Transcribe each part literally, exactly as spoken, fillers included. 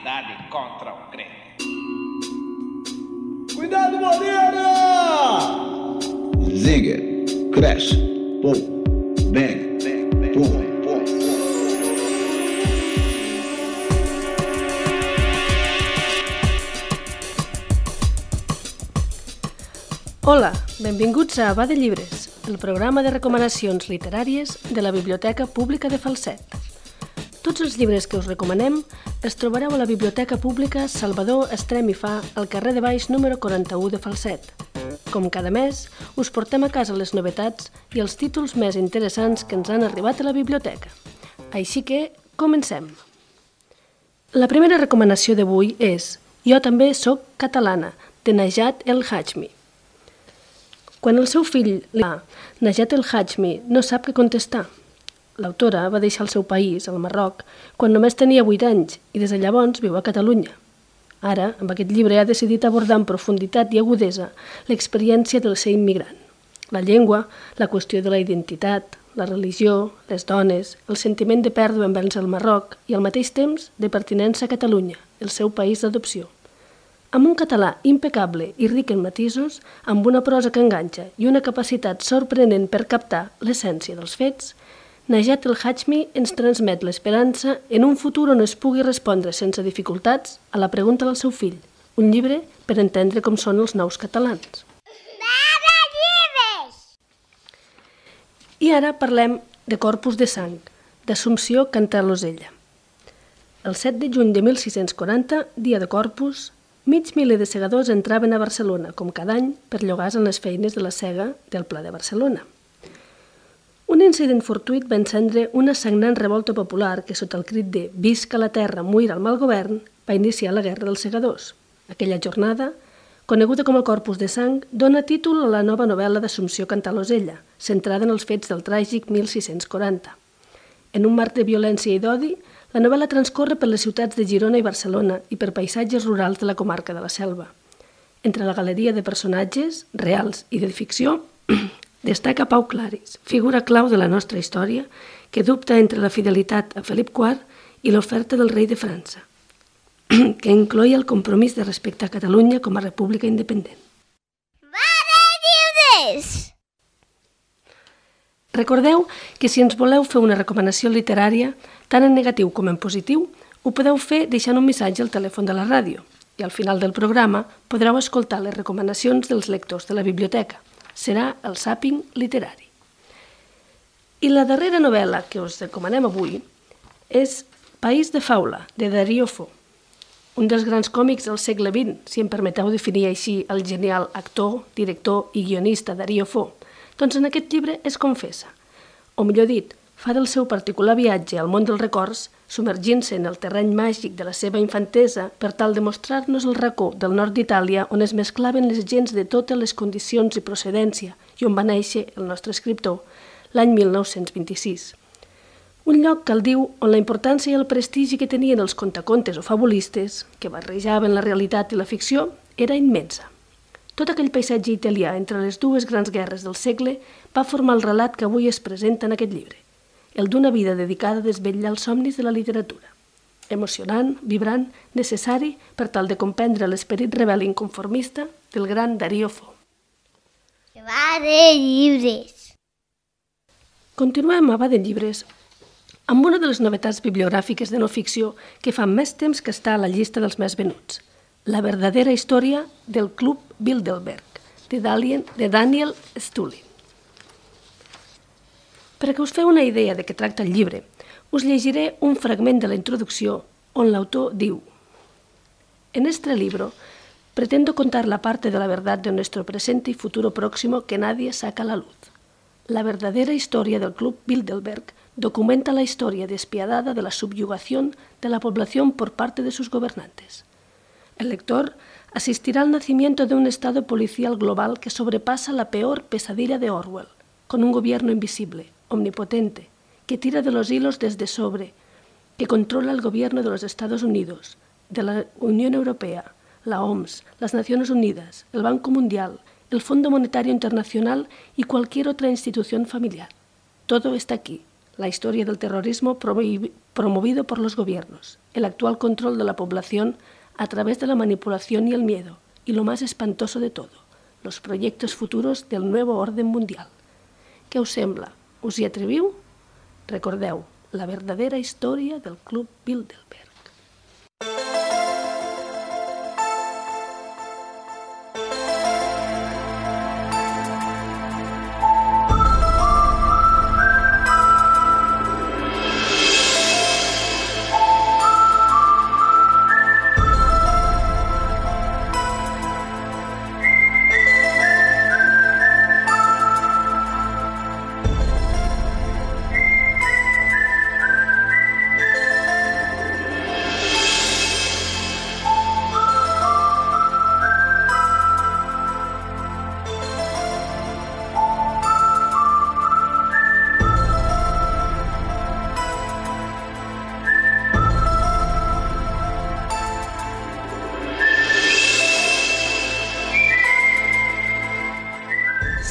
humanidade contra o crente. Cuidado, Moreira! Zinger, crash, pum, bang, bang, pum, pum. Hola, benvinguts a Va de Llibres, el programa de recomanacions literàries de la Biblioteca Pública de Falset. Tots els llibres que us recomanem els trobareu a la Biblioteca Pública Salvador Estrem i Fa, al carrer de Baix número quaranta-u de Falset. Com cada mes, us portem a casa les novetats i els títols més interessants que ens han arribat a la biblioteca. Així que, comencem. La primera recomanació d'avui és Jo també soc catalana, de Najat El Hajmi. Quan el seu fill li va, Najat El Hajmi no sap què contestar. L'autora va deixar el seu país, el Marroc, quan només tenia vuit anys i des de llavors viu a Catalunya. Ara, amb aquest llibre, ha decidit abordar en profunditat i agudesa l'experiència del ser immigrant. La llengua, la qüestió de la identitat, la religió, les dones, el sentiment de pèrdua envers el Marroc i al mateix temps de pertinença a Catalunya, el seu país d'adopció. Amb un català impecable i ric en matisos, amb una prosa que enganxa i una capacitat sorprenent per captar l'essència dels fets, Najat El Hajmi ens transmet l'esperança en un futur on es pugui respondre sense dificultats a la pregunta del seu fill, un llibre per entendre com són els nous catalans. I ara parlem de Corpus de Sang, d'Assumpció Cantalosella. El set de juny de mil sis-cents quaranta, dia de Corpus, mig miler de segadors entraven a Barcelona, com cada any, per llogar-se en les feines de la sega del Pla de Barcelona. Un incident fortuït va encendre una sagnant revolta popular que, sota el crit de «Visca la terra, muir al mal govern», va iniciar la Guerra dels Segadors. Aquella jornada, coneguda com el Corpus de Sang, dona títol a la nova novel·la d'Assumpció Cantalosella, centrada en els fets del tràgic mil sis-cents quaranta. En un marc de violència i d'odi, la novel·la transcorre per les ciutats de Girona i Barcelona i per paisatges rurals de la comarca de la Selva. Entre la galeria de personatges, reals i de ficció, destaca Pau Claris, figura clau de la nostra història, que dubta entre la fidelitat a Felip quart i l'oferta del rei de França, que incloïa el compromís de respectar Catalunya com a república independent. Va de llibres! Recordeu que si ens voleu fer una recomanació literària, tant en negatiu com en positiu, ho podeu fer deixant un missatge al telèfon de la ràdio i al final del programa podreu escoltar les recomanacions dels lectors de la biblioteca. Serà el Zàping literari. I la darrera novel·la que us recomanem avui és País de Faula, de Darío Fo, un dels grans còmics del segle vint, si em permeteu definir així el genial actor, director i guionista Darío Fo. Doncs en aquest llibre es confessa, o millor dit, fa del seu particular viatge al món dels records, submergint-se en el terreny màgic de la seva infantesa per tal de mostrar-nos el racó del nord d'Itàlia on es mesclaven les gents de totes les condicions i procedència i on va néixer el nostre escriptor l'any mil nou-cents vint-i-sis. Un lloc, cal diu, on la importància i el prestigi que tenien els contacontes o fabulistes, que barrejaven la realitat i la ficció, era immensa. Tot aquell paisatge italià entre les dues grans guerres del segle va formar el relat que avui es presenta en aquest llibre, el d'una vida dedicada a desvetllar els somnis de la literatura. Emocionant, vibrant, necessari per tal de comprendre l'esperit rebel i inconformista del gran Darío Fo. Va de llibres! Continuem a Va de Llibres amb una de les novetats bibliogràfiques de no ficció que fa més temps que està a la llista dels més venuts, La verdadera història del Club Bilderberg, de Daniel Stulin. Per a que us feu una idea de què tracta el llibre, us llegiré un fragment de la introducció on l'autor diu: En este libro pretendo contar la parte de la verdad de nuestro presente y futuro próximo que nadie saca a la luz. La verdadera historia del Club Bilderberg documenta la historia despiadada de la subyugación de la población por parte de sus gobernantes. El lector asistirá al nacimiento de un estado policial global que sobrepasa la peor pesadilla de Orwell, con un gobierno invisible, omnipotente, que tira de los hilos desde sobre, que controla el gobierno de los Estados Unidos, de la Unión Europea, la O M S, las Naciones Unidas, el Banco Mundial, el Fondo Monetario Internacional y cualquier otra institución familiar. Todo está aquí, la historia del terrorismo promovido por los gobiernos, el actual control de la población a través de la manipulación y el miedo, y lo más espantoso de todo, los proyectos futuros del nuevo orden mundial. Què us sembla? Us hi atreviu? Recordeu, la verdadera història del Club Bilderberg.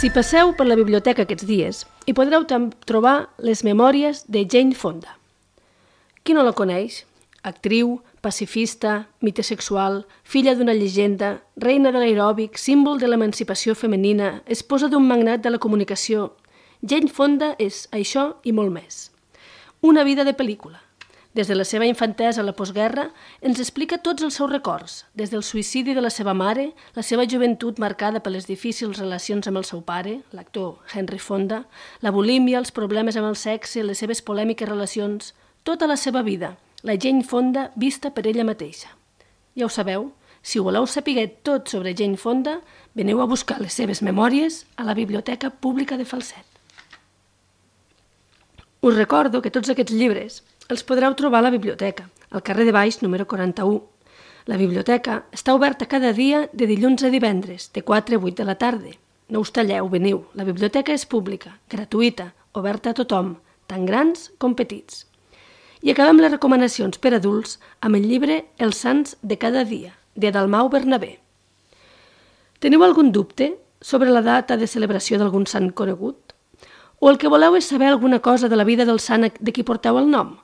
Si passeu per la biblioteca aquests dies, hi podreu trobar les memòries de Jane Fonda. Qui no la coneix? Actriu, pacifista, mite sexual, filla d'una llegenda, reina de l'aeròbic, símbol de l'emancipació femenina, esposa d'un magnat de la comunicació. Jane Fonda és això i molt més. Una vida de pel·lícula. Des de la seva infantesa a la postguerra, ens explica tots els seus records, des del suïcidi de la seva mare, la seva joventut marcada per les difícils relacions amb el seu pare, l'actor Henry Fonda, la bulímia, els problemes amb el sexe, les seves polèmiques relacions, tota la seva vida, la Jane Fonda vista per ella mateixa. Ja ho sabeu, si ho voleu saber tot sobre Jane Fonda, veniu a buscar les seves memòries a la Biblioteca Pública de Falset. Us recordo que tots aquests llibres els podreu trobar a la biblioteca, al carrer de Baix, número quaranta-u. La biblioteca està oberta cada dia de dilluns a divendres, de quatre a vuit de la tarda. No us talleu, veniu. La biblioteca és pública, gratuïta, oberta a tothom, tant grans com petits. I acabem les recomanacions per adults amb el llibre Els sants de cada dia, de Dalmau Bernabé. Teniu algun dubte sobre la data de celebració d'algun sant conegut? O el que voleu és saber alguna cosa de la vida del sant de qui porteu el nom?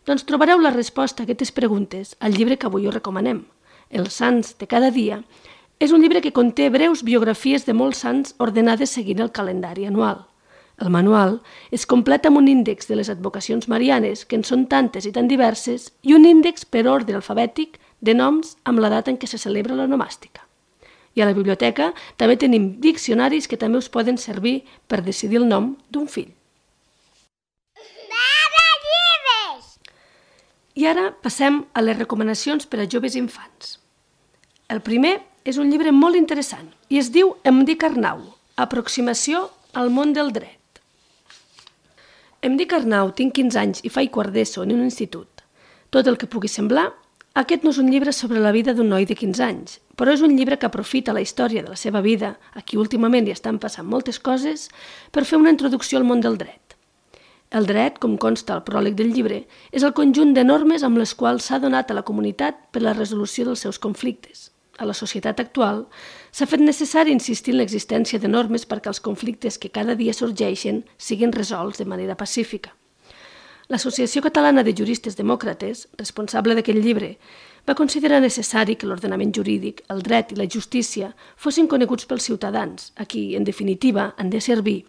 Doncs trobareu la resposta a aquestes preguntes al llibre que avui us recomanem. Els sants de cada dia és un llibre que conté breus biografies de molts sants ordenades seguint el calendari anual. El manual es completa amb un índex de les advocacions marianes, que en són tantes i tan diverses, i un índex per ordre alfabètic de noms amb la data en què se celebra la nomàstica. I a la biblioteca també tenim diccionaris que també us poden servir per decidir el nom d'un fill. I ara passem a les recomanacions per a joves i infants. El primer és un llibre molt interessant i es diu Em dic Arnau, aproximació al món del dret. Em dic Arnau, tinc quinze anys i faig quart d'ESO en un institut. Tot el que pugui semblar, aquest no és un llibre sobre la vida d'un noi de quinze anys, però és un llibre que aprofita la història de la seva vida, a qui últimament hi estan passant moltes coses, per fer una introducció al món del dret. El dret, com consta al pròleg del llibre, és el conjunt de normes amb les quals s'ha donat a la comunitat per la resolució dels seus conflictes. A la societat actual s'ha fet necessari insistir en l'existència de normes perquè els conflictes que cada dia sorgeixen siguin resolts de manera pacífica. L'Associació Catalana de Juristes Demòcrates, responsable d'aquest llibre, va considerar necessari que l'ordenament jurídic, el dret i la justícia fossin coneguts pels ciutadans, a qui, en definitiva, han de servir.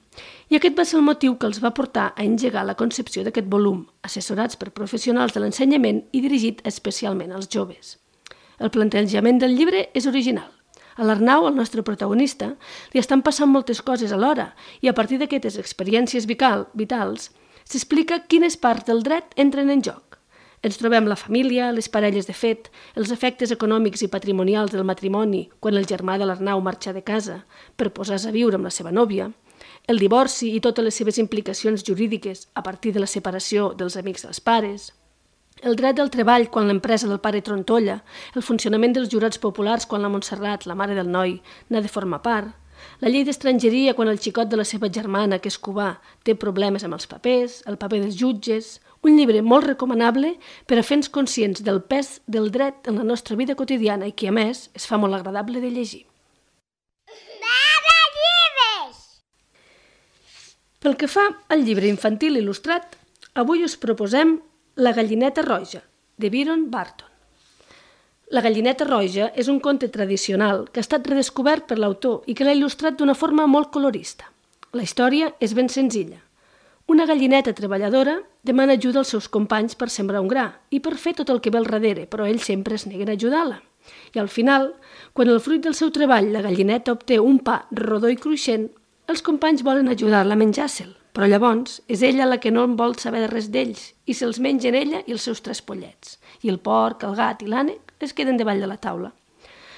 I aquest va ser el motiu que els va portar a engegar la concepció d'aquest volum, assessorats per professionals de l'ensenyament i dirigit especialment als joves. El plantejament del llibre és original. A l'Arnau, el nostre protagonista, li estan passant moltes coses alhora i a partir d'aquestes experiències vitals s'explica quines parts del dret entren en joc. Ens trobem la família, les parelles de fet, els efectes econòmics i patrimonials del matrimoni quan el germà de l'Arnau marxa de casa per posar-se a viure amb la seva nòvia, el divorci i totes les seves implicacions jurídiques a partir de la separació dels amics dels pares, el dret del treball quan l'empresa del pare trontolla, el funcionament dels jurats populars quan la Montserrat, la mare del noi, n'ha de formar part, la llei d'estrangeria quan el xicot de la seva germana, que és cubà, té problemes amb els papers, el paper dels jutges. Un llibre molt recomanable per a fer-nos conscients del pes del dret en la nostra vida quotidiana i que, a més, es fa molt agradable de llegir. Mare llibres! Pel que fa al llibre infantil il·lustrat, Avui us proposem La gallineta roja, de Byron Barton. La gallineta roja és un conte tradicional que ha estat redescobert per l'autor i que l'ha il·lustrat d'una forma molt colorista. La història és ben senzilla. Una gallineta treballadora demana ajuda als seus companys per sembrar un gra i per fer tot el que ve al darrere, però ells sempre es neguen a ajudar-la. I al final, quan el fruit del seu treball la gallineta obté un pa rodó i cruixent, els companys volen ajudar-la a menjar-se'l, però llavors és ella la que no en vol saber de res d'ells i se'ls mengen ella i els seus tres pollets. I el porc, el gat i l'ànec es queden davall de la taula.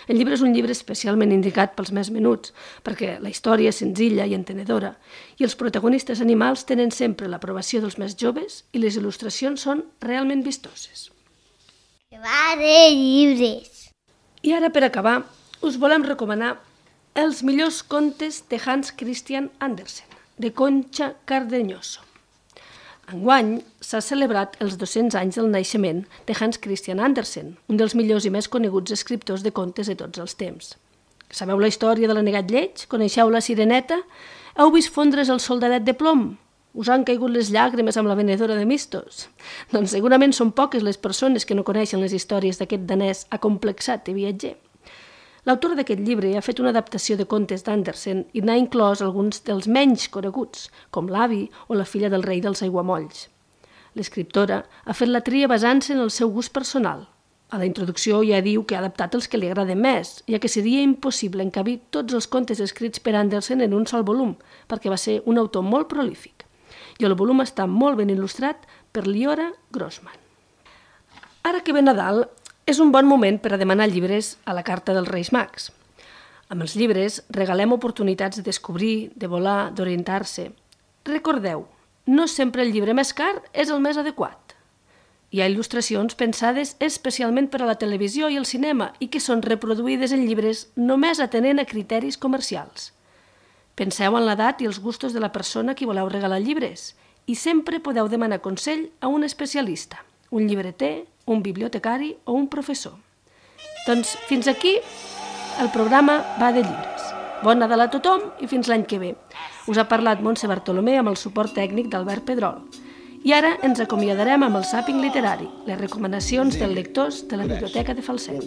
El llibre és un llibre especialment indicat pels més menuts, perquè la història és senzilla i entenedora, i els protagonistes animals tenen sempre l'aprovació dels més joves i les il·lustracions són realment vistoses. Que va de llibres. I ara, per acabar, us volem recomanar els millors contes de Hans Christian Andersen, de Concha Cardeñoso. Enguany s'ha celebrat els dos-cents anys del naixement de Hans Christian Andersen, un dels millors i més coneguts escriptors de contes de tots els temps. Sabeu la història de l'anegat lleig? Coneixeu la sireneta? Heu vist fondre's el soldadet de plom? Us han caigut les llàgrimes amb la venedora de mistos? Doncs segurament són poques les persones que no coneixen les històries d'aquest danès acomplexat i viatger. L'autor d'aquest llibre ha fet una adaptació de contes d'Andersen i n'ha inclòs alguns dels menys coneguts, com L'avi o La filla del rei dels aiguamolls. L'escriptora ha fet la tria basant-se en el seu gust personal. A la introducció ja diu que ha adaptat els que li agraden més, ja que seria impossible encabir tots els contes escrits per Andersen en un sol volum, perquè va ser un autor molt prolífic. I el volum està molt ben il·lustrat per Liora Grossman. Ara que ve Nadal, és un bon moment per a demanar llibres a la carta dels Reis Mags. Amb els llibres regalem oportunitats de descobrir, de volar, d'orientar-se. Recordeu, no sempre el llibre més car és el més adequat. Hi ha il·lustracions pensades especialment per a la televisió i el cinema i que són reproduïdes en llibres només atenent a criteris comercials. Penseu en l'edat i els gustos de la persona a qui voleu regalar llibres i sempre podeu demanar consell a un especialista, un llibreter, un bibliotecari o un professor. Doncs fins aquí el programa Va de llibres. Bon Nadal a tothom i fins l'any que ve. Us ha parlat Montse Bartolomé amb el suport tècnic d'Albert Pedrol. I ara ens acomiadarem amb el Zàping literari, les recomanacions dels lectors de la Biblioteca de Falset.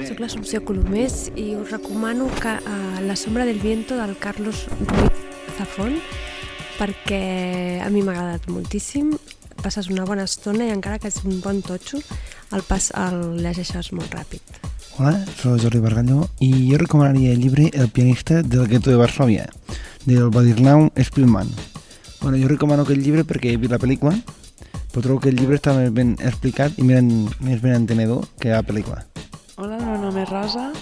Soc l'Assumpció Colomés i us recomano que, uh, La sombra del viento del Carlos Ruiz Zafón, perquè a mi m'ha agradat moltíssim. Passes una bona estona i encara que és un bon totxo, el, pas, el llegeixes molt ràpid. Hola, soy Jordi Bargallo i jo recomanaria el llibre El pianista del gueto de Varsovia, del Władysław Szpilman. Bueno, jo recomano aquest llibre perquè he vist la pel·lícula, però trobo que el llibre està més ben explicat i més ben entenedor que la pel·lícula. Hola, el meu nom és Rosa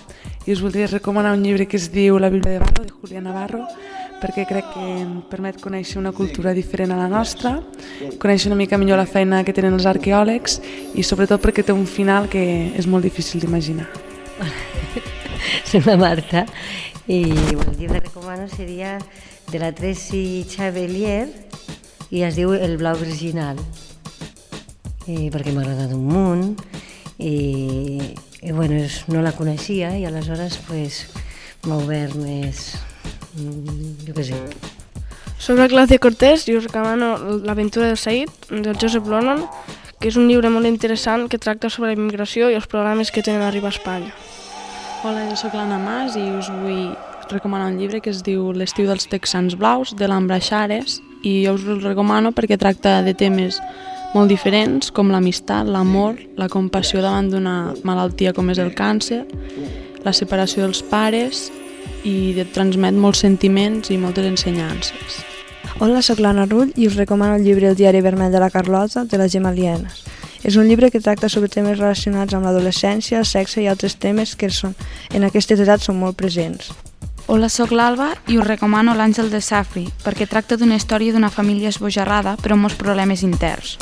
i us voldria recomanar un llibre que es diu La Bíblia de Barro, de Julián Navarro, perquè crec que em permet conèixer una cultura diferent a la nostra, conèixer una mica millor la feina que tenen els arqueòlegs i sobretot perquè té un final que és molt difícil d'imaginar. Soy la Marta y el llibre que recomano seria de la Tracy Chevalier i es diu El blau virginal, I perquè m'ha agradat un munt i, i bueno, no la coneixia i aleshores pues, m'ha obert més... jo què sé. Soc la Claudia Cortés i us recomano L'aventura del Said, del Joseph Lonan, que és un llibre molt interessant que tracta sobre la immigració i els problemes que tenen a arribar a Espanya. Hola, jo soc l'Anna Mas i us vull recomanar un llibre que es diu L'estiu dels texans blaus, de l'Ambra Xares, i jo us el recomano perquè tracta de temes molt diferents com l'amistat, l'amor, la compassió davant d'una malaltia com és el càncer, la separació dels pares i et transmet molts sentiments i moltes ensenyances. Hola, soc l'Anna Rull i us recomano el llibre El diari vermell de la Carlota, de la Gemma Lienas. És un llibre que tracta sobre temes relacionats amb l'adolescència, el sexe i altres temes que són, en aquestes edats són molt presents. Hola, soc l'Alba i us recomano L'àngel de Safri, perquè tracta d'una història d'una família esbojarrada però amb molts problemes interns.